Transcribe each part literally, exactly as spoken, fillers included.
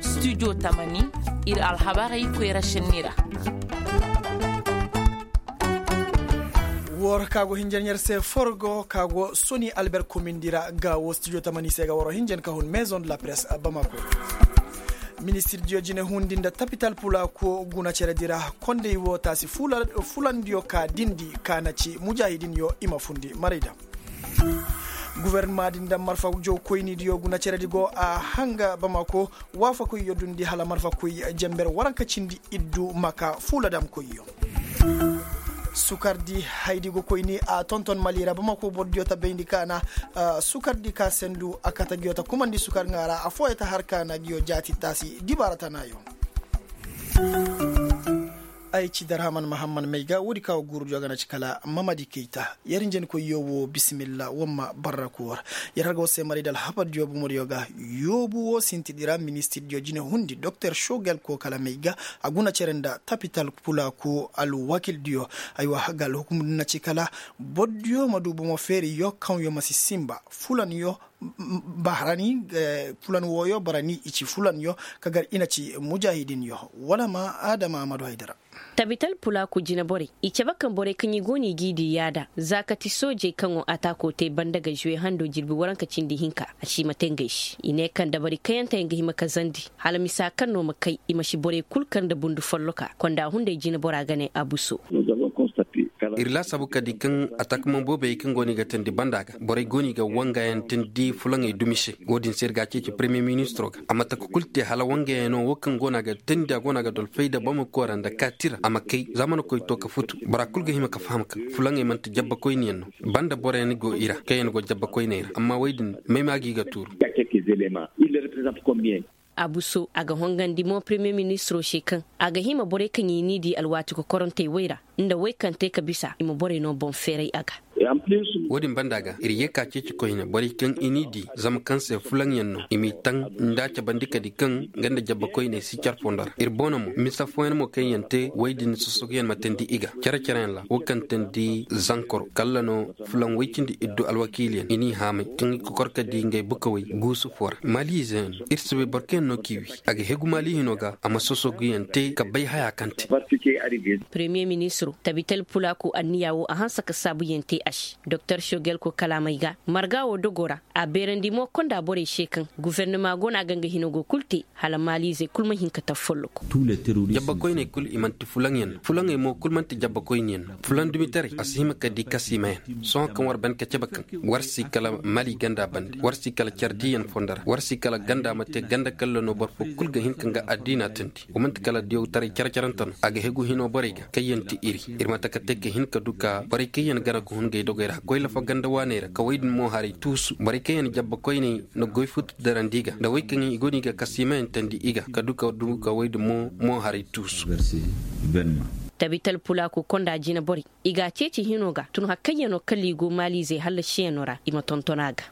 Studio tamani, ir alhabarey koyra šenni ra. Woo ra ka go hinjan yer se forgo ka go soni alber komindi ra ga wo studio tamani se ga waro hinjan ka hun maison de la presse bamako. Ministir diyo jine hundi nda tapital pulako guna cere di ra. Kondey wo taasi fulandiyo ka dindi ka na ci mujahidin yo i ma fundi maray da. Gufornama din nda marfa jow koyni diyo guna cere di go a hanga bamako. Waafakoyyo dundi hala marfa koy jenber waranka cindi iddu maka fuuladamkoyyo. Sukardi haydi go koyni a tonton mali ra bamako boro diyo ta bayndi ka na sukardi ka sendu a kata giyo ta kumandi sukar ŋaara affooyo ta har ka na giyo jaati taasi dibaara tanaayo. Ay ci darhaman mahamman may ga woodi ka wo guuru diyo ga na ci kala mamadi kayta. Yer hinjankoy yoobu wo bisimilla wamma barra koor. Yer har ga war se maray da alhabar diyo bomodiyo ga. Yoobu wo sintidi ra ministir diyo jine hundi doktor shogel ko kala may ga a guna cere nda tapital pulako alwakil diyo. Aywa ga alhukum din na ci kala boro diyo ma du bomo feeriyo kaŋyo ma si sinba fulanyo barani. Fulan wooyo barani i ci fulanyo ka gar i na ci mujahidinyo. Wala ma adama amadu haydara. Tabital pulaaku jinaborey i cabe kaŋ borey kaŋ i go no i g'i di yaada za ka ti soojey kaŋo ataako te banda ga žuwe hando jirbi waranka cindi hinka. A si i ma te ngey se i ne kaŋ dabari kayante yaŋ ga hima ka zandi hala misa kaŋ no ma kay i ma si borey kulu kar nda bundu folloka konda hunday jinabora ga ne abuso. Ir laasaabu ka di kaŋ ataakaman boobey kaŋ go no i ga teendi banda ga borey go no i ga wangayaŋ teendi fulaŋey dumi se. Wo-din se ir ga a ceeci premiyer ministiro ga a ma taka kulu te hala wangayaŋo wo kaŋ go no a ga teendi a go no a ga dolfay nda bamako ra nda kaati ra a ma kay za mana koy to ka futu. Bora kulu ga hima ka faham kaŋ fulaŋey manti jabbakoyniyaŋ no. Banda boroyaŋ go i ra kaŋ yaŋ go jabbakoyney ra amma wey din may ma gi ga tuuru. Abuso a ga hongandi mo premiyer ministiro se kaŋ a ga hima borey kaŋ i n'i di alwaati kokorantey wey ra nda wey kaŋ te ka bisa i ma borey no boŋ feeray a ga. Wo-din banda ga ir ye ka ceeci koyne borey kaŋ i n'i di zama kaŋ se fulaŋyaŋ no i m'i taŋ nda a cabandi ka di kaŋ nga nda jabbakoyney si care fondo ra ir boŋ no mo misa fooyaŋ mo kaŋ yaŋ te wey din sosoguyaŋ ma teendi i ga care-careyaŋ ra wo kaŋ teendi zankoro kalla no. Fulaŋ woy cindi iddu alwakiiliyaŋ i n'i haamay kaŋ i kokor ka di ngey bukawey guusu foo ra maali izeyaŋ no ir si bay boro kaŋ yaŋ no k'i wi. A ga hegu maali hino ga a ma sosoguyaŋ te ka bay haya kaŋ te. Premiyer ministiro tabital pulaaku anniya wo a hanse ka saabuyaŋ te a se doktor sogelko kalaamey ga marga wo dogo ra. A beerandi mo konda borey se kaŋ gufernama go no a ga nga hino go kulu te hala maaliizey kulu ma hin ka tabi folloku. Jabbakoyney kulu i man'ti fulaŋyaŋ no fulaŋey mo kulu man'ti jabbakoyniyaŋ no. Fulaŋ dumitaray a si hima ka di kasiimayaŋ sohõ kaŋ war ban ka cabe kaŋ war si kala mali ganda bande war si kala care diiyaŋ fondo ra war si kala ganda ma te ganda kalla no boro fo kulu ga hin ka nga addiina teendi. Wa man'ti kala diyawtaray care-carante no a ga hegu hino borey ga kaŋ yaŋ ti iri. Ir ma taka te ka hin ka du ka borey kaŋ yaŋ gana ga hun ngey dogey ra ka koy lafa ganda waaney ra ka wey din mo haray tuusu borey kaŋ yaŋ jabbakoyney na goy futu darandi i ga nda wey kaŋ i go no i ga kasiimayaŋ teendi i ga ka du ka du ka wey din mo mo haray tuusu. Tabital pulaaku konda jinaborey i ga a ceeci hino ga tun hari kaŋ yaŋ no kala i go maaliizey hallasiyaŋo ra i ma tonton a ga.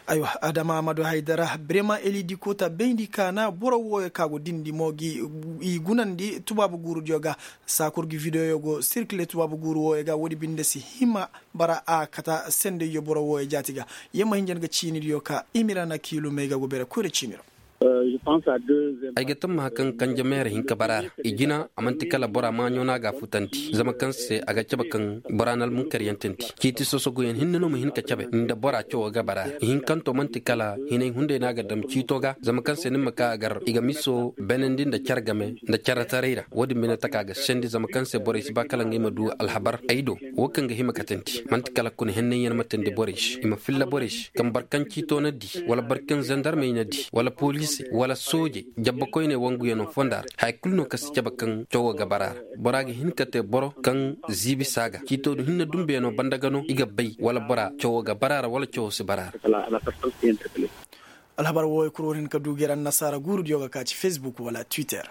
Aywa adama amadu haydara birema elidi koota bayndi kaana boro wooyo ka go dindi mo gi i gunandi tubaabu guurudiyo ga. Saakur gi videoyo go sirkile tubaabu guuru wooyo ga woodi binde si hima bara a kata sendayyo boro wooyo jaati ga. Yamma hinjan ga ciinidiyo ka imirana kiilumey ga go bere koyra ciiniro. Ay ga tammaha kaŋ kanje meera hinka bara ra i jina a man'ti kala bora maaɲo no a ga a futandi zama kaŋ se a ga cabe kaŋ bora na almunkaryaŋ teendi. Ciiti sosoguyaŋ hinne no ma hin ka cabe nda bora cawo ga bara ra ihinkanto man'ti kala hinay hunday no a ga dam ciito ga zama kaŋ se ni ma ka a gar i ga miso beenandi nda care game nda caretaray ra. Wo-din bine taka ga sendi zama kaŋ se borey si ba kala ngey ma du alhabar ay do wo kaŋ ga hima katandi man'ti kala kuna hennayaŋ ma teendi borey se i ma filla borey se kaŋ boro kaŋ ciito na di wala boro kaŋ zandarmey na di wala poliisey wala soojey jabbakoyney wanguyaŋo fonda ra haya kulu no kaŋ si cabe kaŋ cawo ga bara ra. Bora ga hin ka te boro kaŋ ziibi si a ga ciito du hinne dumbeyaŋo banda ga no i ga bay wala bora cawo ga bara ra wala cawo si bara ra. Alhabar wooyo kul war hin ka du gay ra annasaara guurudiyo ga ka ci facebook wala twitter.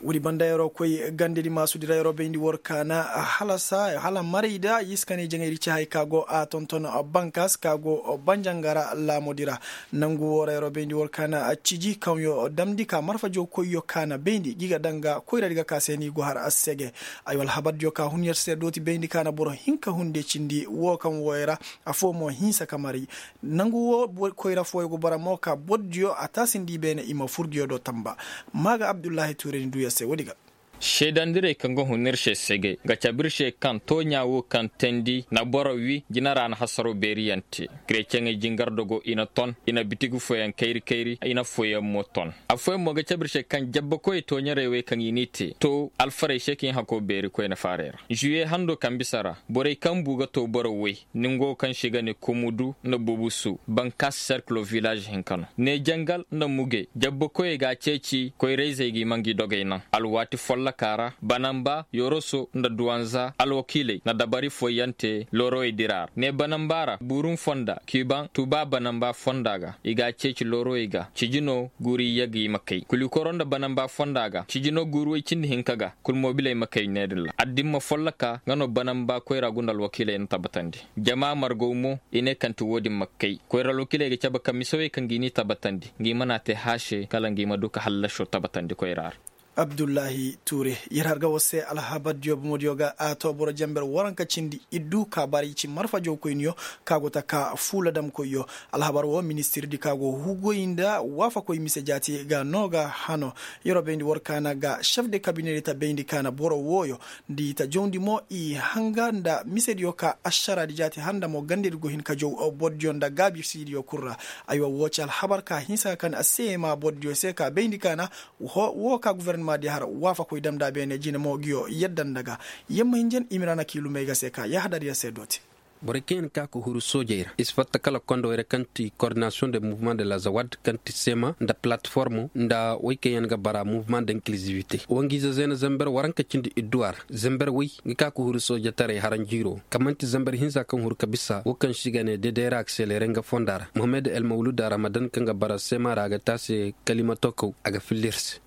Woodi banda yeroo koy gandedi maasudi ra yeroo bayndi war kaana hala marayda yiska ne jaŋaydi ci hay ka go a tonton bankas ka go banjangara laamodi ra. Nangu woo ra yeroo bayndi war kaana ciji kaŋyo damndi ka marfa jow koyyo kaana bayndi gi ga daŋ ga koyradi ga ka se ni go har assege. Ay wala habardiyo ka hun yer se dooti bayndi kaana boro hinka hunde cindi woo kaŋ wooyo ra. Afoo mo hinsa ka maray nangu woo koyra fooyo go bara mo ka bordiyo a taasindi beene i ma furdiyo do tamba. Maaga abdullahi tuureni duuya se woodi ga. Seedandirey kaŋ ga hun ir se segey ga cabe ir se kaŋ tooɲa wo kaŋ teendi na boro wi jina ra na hasaroo beeriyaŋ te. Kereceŋey jingardogo i na ton i na bitigi fooyaŋ kayri kayri i na fooyaŋ mo ton. Affooyaŋ mo ga cabe ir se kaŋ jabbakoyey tooɲarey wey kaŋ i n'i te to alfarey se ka i hakoo beeri koyne faarey ra. Žuwiye hando kaŋ bisa ra borey kaŋ bu ga to boro wey. Ningo kaŋ se i ga ne kumudu nda bubusu bankas serkilo vilaaž hinka no ne jangal nda mugey jabbakoyey ga a ceeci koyra-izey ga i ma ngi dogey naŋ alwaati folloka ra banamba yoroso nda duwanza alwakiiley na dabari fooyaŋ te loorowey dira ra ne banamba ra buurum fonda kiibaŋ tuuba banamba fonda ga i ga a ceeci loorowey ga ciji no guuri yagey ma kay kulikoro nda banamba fonda ga ciji no guuri woy cindi hinka ga kul mobiley ma kay ne din ra addimma folloka nga no banamba koyra gunda alwakiiley na tabbatandi. Jama margaw mo i ne kaŋ ti wo-din ma kay koyra alwakiiley ga cabe ka misawey kaŋ ga i n'i tabbatandi nga i mana te haase kala nga i ma du ka hallaso tabbatandi koyra ra. Abdullahi tuure yer har ga war se alhabardiyo bomodiyo ga a to boro jenber waranka cindi iddu ka bara i ci marfa jawkoyniyo ka go ta ka fuula damkoyyo. Alhabar wo ministirdi ka go hugoy nda waafakoy mise jaati ga no ga hano. Yeroo bayndi war kaana ga šef de kabinedi ta bayndi kaana boro wooyo nda i ta jawndi mo i hanga nda misediyo ka ašaraadi jaati handa mo gandedi go hin ka jaw bordiyo nda gaabisidiyo kul ra. Aywa woo ci alhabar ka hinsa ka kan a seema bordiyo se ka bayndi kaana. Woo ka gofornama di har waafakoy damnda beene jine mo nguyo yadda nda ga. Yamma hinjan imirana k'i lumey ga se ka yahadar yer se dooti. Borey kaŋ yaŋ ka ka huru soojey ra i si fatta kala kondowey ra kaŋ ti kordinasiyoŋ de muvuma de la zawad kaŋ ti sema nda palatformo nda wey kaŋ yaŋ ga bara muvuma de inkilizibite wangiize zeena zember waranka cindi idduwa ra. Zember wey ga ka ka huru soojetaray haranjiiro kaŋ man'ti zember hinza kaŋ huru ka bisa wo kaŋ se i ga ne dedera akselere nga fonda ra mohammed el mawluda ramadan kaŋ ga bara sema ra a ga te a se. Kalimato kaw a ga filla ir se.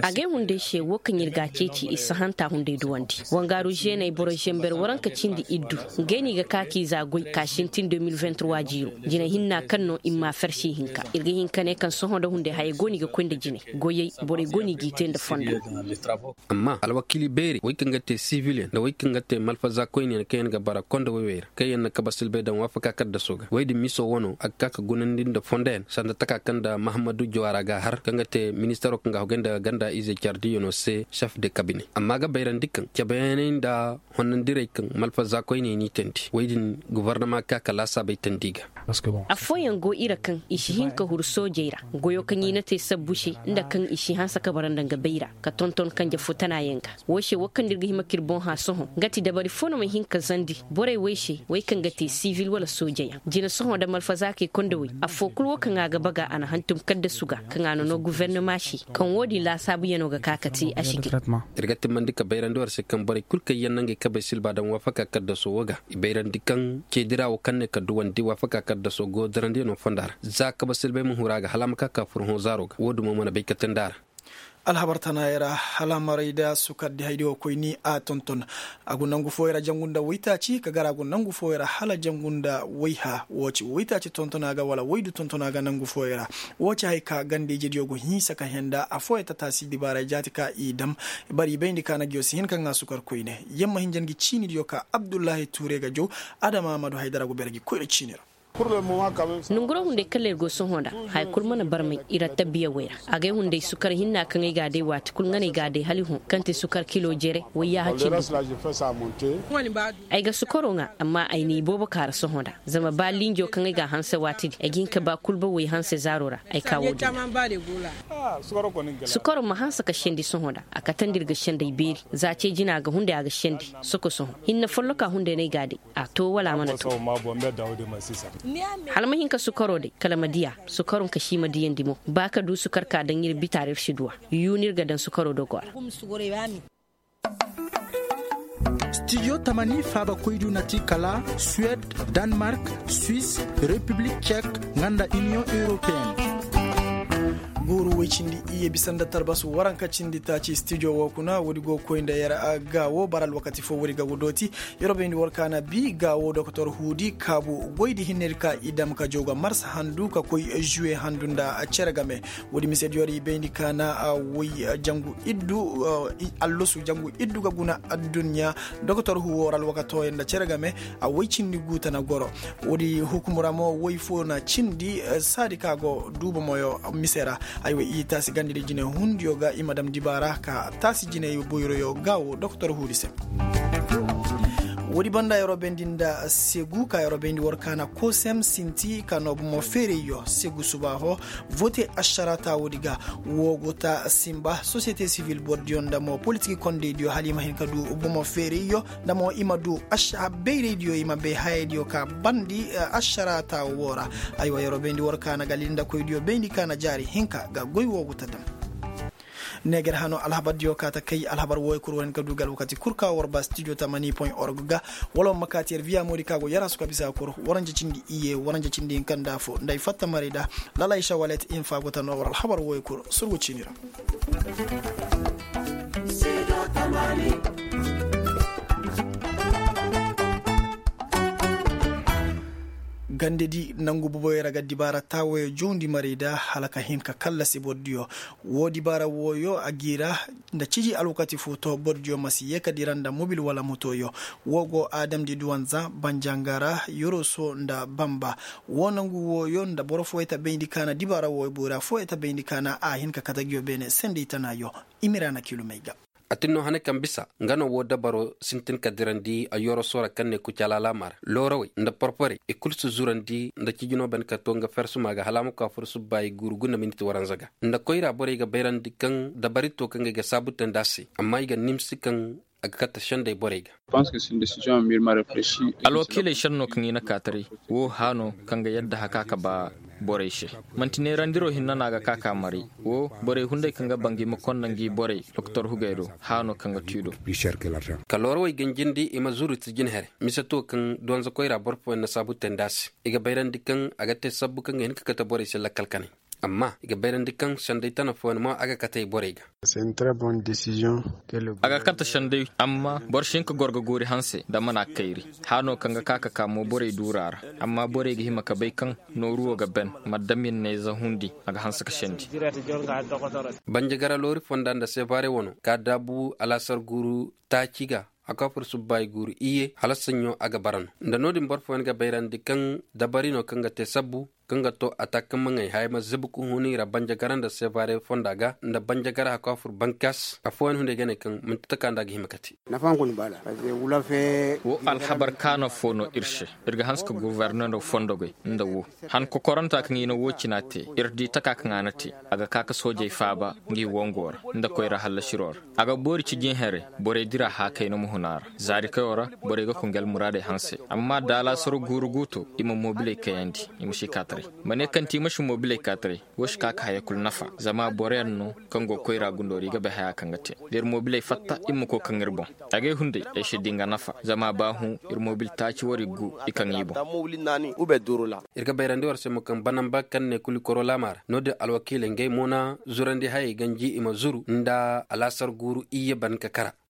Agay hunday se wo kaŋ ir ga a ceeci ir si hanta hunday duwandi wangaaru žeeney boro žember waranka cindi iddu. Ngey no i ga ka k'i za goy ka sintin deux mille vingt trois jiiro. Jine hinna kaŋ no ir m'a farsi hinka ir ga hin ka ne kaŋ sohõ nda hunday hayey go no i ga koy nda jine. Goyey borey go no i g'i te nda fondo. Amma alwakiili beeri wey kaŋ ga te sivilyaŋ nda wey kaŋ ga te malfaza koyniyaŋ kaŋ yaŋ ga bara konda wey wey ra kaŋ yaŋ na kabe silbay daŋ waafaka kaddaso ga wey din miso wano a ga ka ka gunandi nda fondoyaŋ sanda taka kaŋ nda mahammadu jawaara ga a har kaŋ ga te ministaro kaŋ ga a hogay nda ganda ize cardiyano se šef de kabine amma a ga bayrandi kaŋ cabeyaŋey nda honnandirey kaŋ malfaza koyney n'i teendi wey din gofornama ka ka laasaabey teendi i ga. Affooyaŋ go i ra kaŋ i si hin ka huru soojey ra goyo kaŋ i na te sabbu se nda kaŋ i si hanse ka bara nda nga bay ra ka tonton kanje fo tanayaŋ ga. Woo se woo kaŋ nda ir ga hima k'ir boŋ hã sohõ nga ti dabari fo no ma hin ka zandi borey wey se wey kaŋ ga te sivil wala soojeyaŋ jine sohõ nda malfazaakey kondowey affoo kul woo kaŋ a ga baga a na hantum kaddasu ga kaŋ a na noo guvernama se. Kaŋ woo din laasaabuyanoo ga ka ka te a si gay. Ir ga timmandi ka bayrandi war se kaŋ borey kul kaŋ yaŋ na ngey kabey silba daŋ waafaka kaddaso woo ga i bayrandi kaŋ ceedira woo kaŋ ne ka duwandi waafaka kaddaso go darandiyanoo fonda ra za kabe silbay ma huru a ga hala a ma ka ka furhõ zaaro ga woo dumo mana bay ka teendi a ra. Alhabar tanaayey ra hala maray nda sukardi haydi wo koyni a tonton. A go nangu fooyey ra jangu nda woytaaci ka gar a go nangu fooyey ra hala jangu nda woyha woo ci woytaaci tontona ga wala woydu tontona ga nangu fooyey ra. Woo ci haya ka ganda-ijediyo go hinsa ka henda affooyaŋ tataasi dibaaray jaati ka i dam. Bari i bayndi ka na nguyo si hin ka ŋaa sukar koyne yamma hinja ngi ciinidiyo ka abdullahi tuure ga jaw. Adama amadu haydara go beere gi koyra ciini ra. Nonguroo hunday kaŋ ir go sohõ nda haya kul mana barmay ir attabbiyawey ra. Agay hunday sukar hinna kaŋ ay g'a day waati kul nga no ay g'a day hala i hõ kaŋ ti sukar kilo jere wayyaaha cindi. Ay ga sukaroo ŋaa amma ay n'i boobo kaara sohõ nda zama ba linjo kaŋ ay g'a hanse waati din ay ga hin ka ba kulba woy hanse zaaro ra. Ay ka wo-din ra. Sukaroo ma hanse ka sendi sohõ nda a katandi ir ga senday beeri. Za ce jina a ga hunday a ga sendi soko sohõ hinne folloka hunday no ay g'a day. A to wala a mana to. Hala ma hin ka sukaroo day kala ma diya. Sukaroo ka si ma diyandi mo ba ka du sukar ka daŋ ir bitaara ir si duw'a. Yuuna ir ga daŋ sukaroo dogoo ra. Stijo tamani faabakoydu na ti kala suwed, danmark, swis, repiblik cek, nga nda iniyoŋ europeyenne. Guuru woy cindi iyye bisa nda talbas waranka cindi taaci stijo woo kuna woodi go ga koy nda yer. Gaawo bara alwakati foo woodi ga ga dooti. Yer wo bayndi war kaana bi gaawo dokotor huudi kaabu goydi hinnedi ka i dam ka jaw ga mars handu ka koy žuwe handu nda cere game. Woodi misediyo ra i bayndi kaana woy jangu iddu allosu jangu iddu ga guna adduɲɲa. Dokotor huuwo ra alwakatooyo nda cere game a woy cindi guuta na goro. Woodi hukumu ra mo woy foo na cindi saadi ka go duuba moyo mise ra. Aywa i taasi gandidi jinehundiyo ga i ma dam dibaara ka taasi jiney boyroyo gaawo dokotor huudi se. Woodi banda yeroo bayndi nda segu ka yeroo bayndi war kaana kosem sinti ka noo bomo feerayyo segu subaaho. Vote ašarata woodi ga woo go ta simba sosiyete sivil bordiyo nda mo politiki kondeydiyo hala i ma hin ka du bomo feerayyo nda mo i ma du bayraydiyo i ma bay hayaydiyo ka bandi ašarata woo ra. Aywa yeroo bayndi war kaana ga lindakoydiyo bayndi kaana jaari hinka ga goy woo go ta dam. Neeger hano alhabardiyo kaa ta kay alhabar wooyo kul war hin ka du ga alwakati kul ka war ba stijo tamani point org ga. Wala war ma kaati yer viya moodi ka go yer hasu ka bisa kul waranja cindi iyye waranja cindi hinka nda afo nda ay fatta maray da. Lala ay sawalet infa go ta noo war alhabar wooyo kul surgu ciini ra. Gandedi nangu boboyo ra ga dibaara taawayo jawndi maray da hala ka hin ka kallasi bordiyo. Woo dibaara wooyo a g'i ra nda ciji alwakati foo to bordiyo ma si yee ka dira nda mobil wala motoyo. Woo go aadamdi duwanza banjangara yoroso nda bamba. Woo nangu wooyo nda boro fooyo ta bayndi kaana dibaara wooyo boyra fooyo ta bayndi kaana a hin ka kate nguyo beene sendey tanaayo. Imiraana kilumey ga. A tin no hane kaŋ bisa nga no woo dabaro sintin ka dirandi a yoroso ra kaŋ ne kucalaalaama ra loorawey nda porporey i kul si zurandi nda cijinoo ban ka to nga fersuma ga hala a ma ka fur subbaayi guuru guna minit waranza ga. Nda koyra borey ga bayrandi kaŋ dabari to kaŋ ga ay ga saabu te nd'a se amma i ga nimsi kaŋ a ga kate sendey borey ga. Alwakiiley šenno kaŋ i na kaataray woo haano kaŋ ga yadda haka ka ba borey se. Man'ti neerandiroo hinna no a ga ka ka maray woo borey hunday kaŋ ga banga i ma konda ngi borey doktor hugey do haano kaŋ ga tu i do. Ka loorawey ganjindi i ma zuru ti jinhere mise to kaŋ donza koyra boro fooyaŋ na saabu te nd'a se i ga bayrandi kaŋ a ga te sabbu kaŋ ga hin ka kate borey se lakkal kanay. Amma i ga bayrandi kaŋ senday tana fooyaŋ mo a ga katey borey ga. A ga kate senday amma boro si hin ka goro ga goori hanse nda mana kayri. Haano kaŋ ga ka ka ka mo borey duura ra amma borey ga hima ka bay kaŋ nooru wo ga ben maddamin na ize hundi a ga hanse ka sendi. Banjagara loori fonda nda seebaare wano ka daabu alaasar guuru taaci ga a ka fur subbaayi guuru iyye hala saɲɲo a ga bara no nda no-din boro fooyaŋ ga bayrandi kaŋ dabari no kaŋ ga te sabbu kaŋ ga to a ta kaŋ ma ŋay haya ma zibi ka huni ra banjagara nda seebaare fonda ga nda banjagara haka fur bankas afooyaŋ hunday ga ne kaŋ man'ti taka nda a ga hima kate. Woo alhabar kaana foo no ir se. Ir ga hanse ka gofornero fondogey nda woo han kokoranta kaŋ i na woo cina te ir di taka kaŋ a na te a ga ka ka soojey faaba ngi wongo ra nda koyra hallasiroo ra. A ga boori cijin here borey dira haakay no ma hun a ra zaarikayoo ra. Borey ga konge almuraadey hanse amma da alaasaro guuru guuto i ma moobiley kayandi i ma si kaataray. Ma ne kaŋ ti i ma si moobiley kaataray woo si ka ka haya kul nafa zama boroyaŋ no kaŋ go koyra gundoo ra i ga bay haya kaŋ ga te. Da ir moobiley fatta i ma koy kaŋ ir boŋ. Agay hunday ay si di nga nafa zama ba hõ ir moobil taaci war i gu i kaŋ i boŋ. Ir ga bayrandi war se mo kaŋ banamba kaŋ ne kuli koro laama ra no-din alwakiiley ngey mo na zurandi hayey ganji i ma zuru nda alaasar guuru iyye ban ka kara.